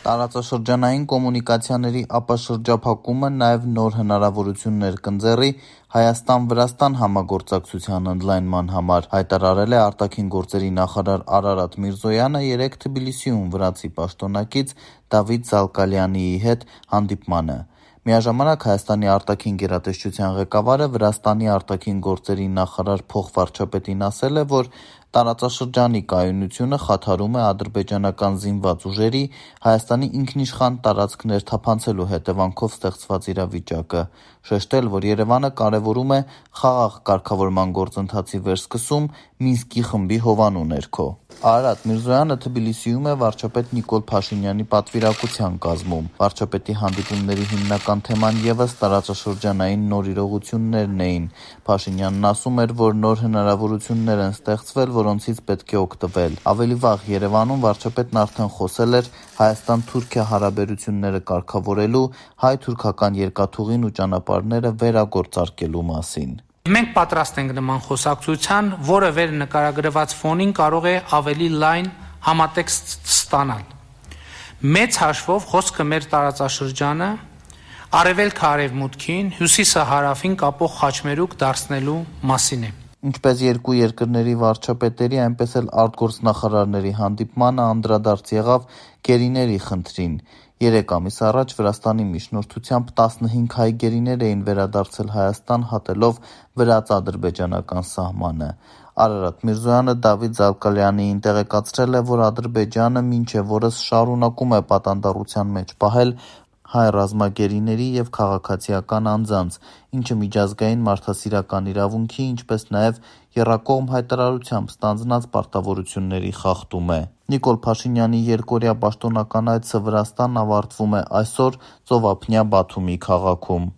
Տարածաշրջանային կոմունիկացիաների ապաշրջափակումը նաև նոր հնարավորություններ կընձեռի Հայաստան-Վրաստան համագործակցության ընդլայնման համար, հայտարարել է արտաքին գործերի նախարար Արարատ Միրզոյանը երեկ Թբիլիսիում վրացի պաշտոնակից Դավիթ Զալկալյանիի հետ հանդիպմանը։ Միաժամանակ Հայաստանի արտաքին գերատեսչության ղեկավարը Վրաստանի արտաքին գործերի նախարար փոխվարչապետին ասել է, որ տարածաշրջանի կայունությունը խաթարում է ադրբեջանական զինված ուժերի Հայաստանի ինքնիշխան տարածք ներթափանցելու հետևանքով ստեղծված իրավիճակը, շեշտել, որ Երևանը կարևորում է խաղաղ կարգավորման գործընթացի վերսկսում Մինսկի խմբի հովանու ներքո։ Արարատ Միրզոյանը Թբիլիսիում է վարչապետ Նիկոլ Փաշինյանի պատվիրակության կազմում։ Վարչապետի հանդիպումների հիմնական թեման ևս տարածաշրջանային նոր իրողություններն էին։ Փաշինյանն ասում էր, որ նոր հնարավորություններ են ստեղծվել, որոնցից պետք է օգտվել։ Ավելի վաղ Երևանում վարչապետն արդեն խոսել էր Հայաստան-Թուրքիա հարաբերությունները կարգավորելու, հայ-թուրքական երկաթուղին ու ճանապարհները վերագործարկելու մասին։ Մենք պատրաստ ենք նման խոսակցության, որը վեր նկարագրված ֆոնին կարող է ավելի լայն համատեքստ ստանալ։ Մեծ հաշվով խոսքը մեր տարածաշրջանը արևելքը արևմուտքին, հյուսիսը հարավին կապող խաչմերուկ դարձնելու մասին է։ Ինչպես երկու երկրների վարչապետերի, այնպես էլ արտգործնախարարների հանդիպմանը անդրադարձ եղավ գերիների խնդրին։ 3 ամիս առաջ Վրաստանի միջնորդությամբ 15 հայ գերիներ էին վերադարձել Հայաստան, հատելով վրաց-ադրբեջանական սահմանը։ Արարատ Միրզոյանը Դավիթ Զալկալյանիին տեղեկացրել է, որ Ադրբեջանը մինչև օրս շարունակում է պատանդառության մեջ պահել հայ ռազմագերիների և քաղաքացիական անձանց, ինչը միջազգային մարդասիրական իրավունքի, ինչպես նաև եռակողմ հայտարարությամբ ստանձնած պարտավորությունների խախտում է։ Նիկոլ Փաշինյանի երկօրյա պաշտոնական այցը Վրաստան ավարտվում է այսօր ծովափնյա Բաթումի քաղաքում։